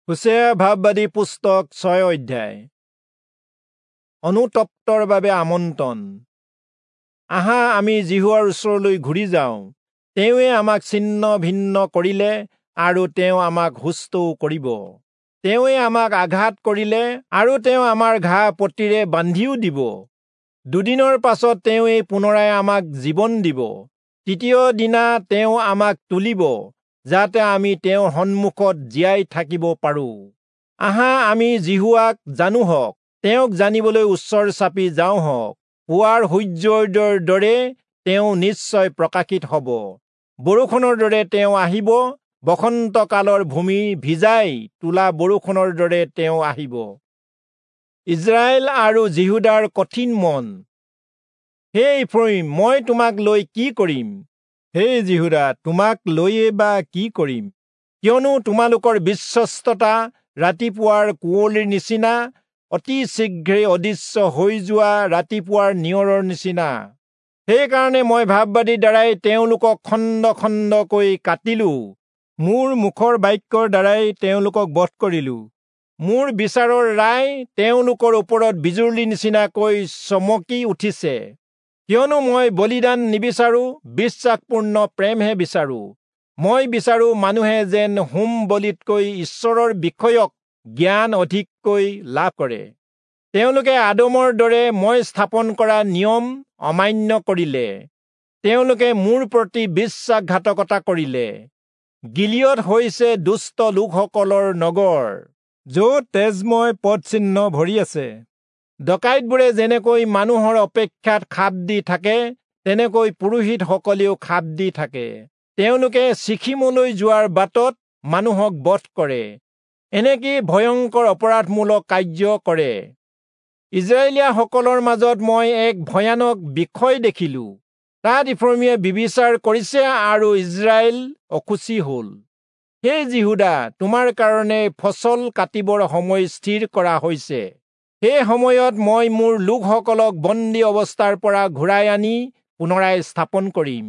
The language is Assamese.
হোচেয়া ভাববাদী পুস্তক 6 অধ্যায়। অনুতপ্তৰ বাবে আমন্ত্ৰণ। আহা, আমি যিহোৱাৰ ওচৰলৈ ঘূৰি যাওঁ। তেওঁৱে আমাক ছিন্ন ভিন্ন কৰিলে আৰু তেওঁ আমাক সুস্থও কৰিব। তেওঁৱে আমাক আঘাত কৰিলে আৰু তেওঁ আমাৰ ঘা পটিৰে বান্ধিও দিব। দুদিনৰ পাছত তেওঁৱেই পুনৰাই আমাক জীৱন দিব। তৃতীয় দিনা তেওঁ আমাক তুলিব, যাতে আমি তেওঁৰ সন্মুখত জীয়াই থাকিব পাৰো। আহা, আমি যিহোৱাক জানো হওক, তেওঁক জানিবলৈ ওচৰ চাপি যাওঁ হওক। পুৱাৰ সূৰ্যোদয়ৰ দৰে তেওঁ নিশ্চয় প্ৰকাশিত হ'ব, বৰষুণৰ দৰে তেওঁ আহিব, বসন্তকালৰ ভূমি ভিজাই তোলা বৰষুণৰ দৰে তেওঁ আহিব। ইজৰাইল আৰু যিহূদাৰ কঠিন মন। হে ইফ্ৰয়িম, মই তোমাক লৈ কি কৰিম? হে যিহূদা, তোমাক লৈয়ে বা কি কৰিম? কিয়নো তোমালোকৰ বিশ্বস্ততা ৰাতিপুৱাৰ কুঁৱলীৰ নিচিনা, অতি শীঘ্ৰে অদৃশ্য হৈ যোৱা ৰাতিপুৱাৰ নিয়ৰৰ নিচিনা। সেইকাৰণে মই ভাববাদীৰ দ্বাৰাই তেওঁলোকক খণ্ড খণ্ডকৈ কাটিলো, মোৰ মুখৰ বাক্যৰ দ্বাৰাই তেওঁলোকক বধ কৰিলো। মোৰ বিচাৰৰ ৰায় তেওঁলোকৰ ওপৰত বিজুলীৰ নিচিনাকৈ চমকি উঠিছে। কিয়নো মই বলিদান নিবিচাৰো, বিশ্বাসপূৰ্ণ প্ৰেমহে বিচাৰো। মই বিচাৰো মানুহে যেন হোম বলিতকৈ ঈশ্বৰৰ বিষয়ক জ্ঞান অধিককৈ লাভ কৰে। তেওঁলোকে আদমৰ দৰে মই স্থাপন কৰা নিয়ম অমান্য কৰিলে। তেওঁলোকে মোৰ প্ৰতি বিশ্বাসঘাতকতা কৰিলে। গিলিয়দ হৈছে দুষ্ট লোকসকলৰ নগৰ, য'ত তেজময় পদচিহ্ন ভৰি আছে। ডকাইতবোৰে যেনেকৈ মানুহৰ অপেক্ষাত খাপ দি থাকে, তেনেকৈ পুৰোহিতসকলেও খাপ দি থাকে। তেওঁলোকে চিখিমলৈ যোৱাৰ বাটত মানুহক বধ কৰে, এনেকি ভয়ংকৰ অপৰাধমূলক কাৰ্য কৰে। ইজৰাইলীয়াসকলৰ মাজত মই এক ভয়ানক বিষয় দেখিলো। তাত ইফ্ৰয়িমে ব্যভিচাৰ কৰিছে আৰু ইজৰাইল অশুচি হ'ল। হে যিহূদা, তোমাৰ কাৰণে ফচল কাটিবৰ সময় স্থিৰ কৰা হৈছে। সেই সময়ত মই মোৰ লোকসকলক বন্দী অৱস্থাৰ পৰা ঘূৰাই আনি পুনৰাই স্থাপন কৰিম।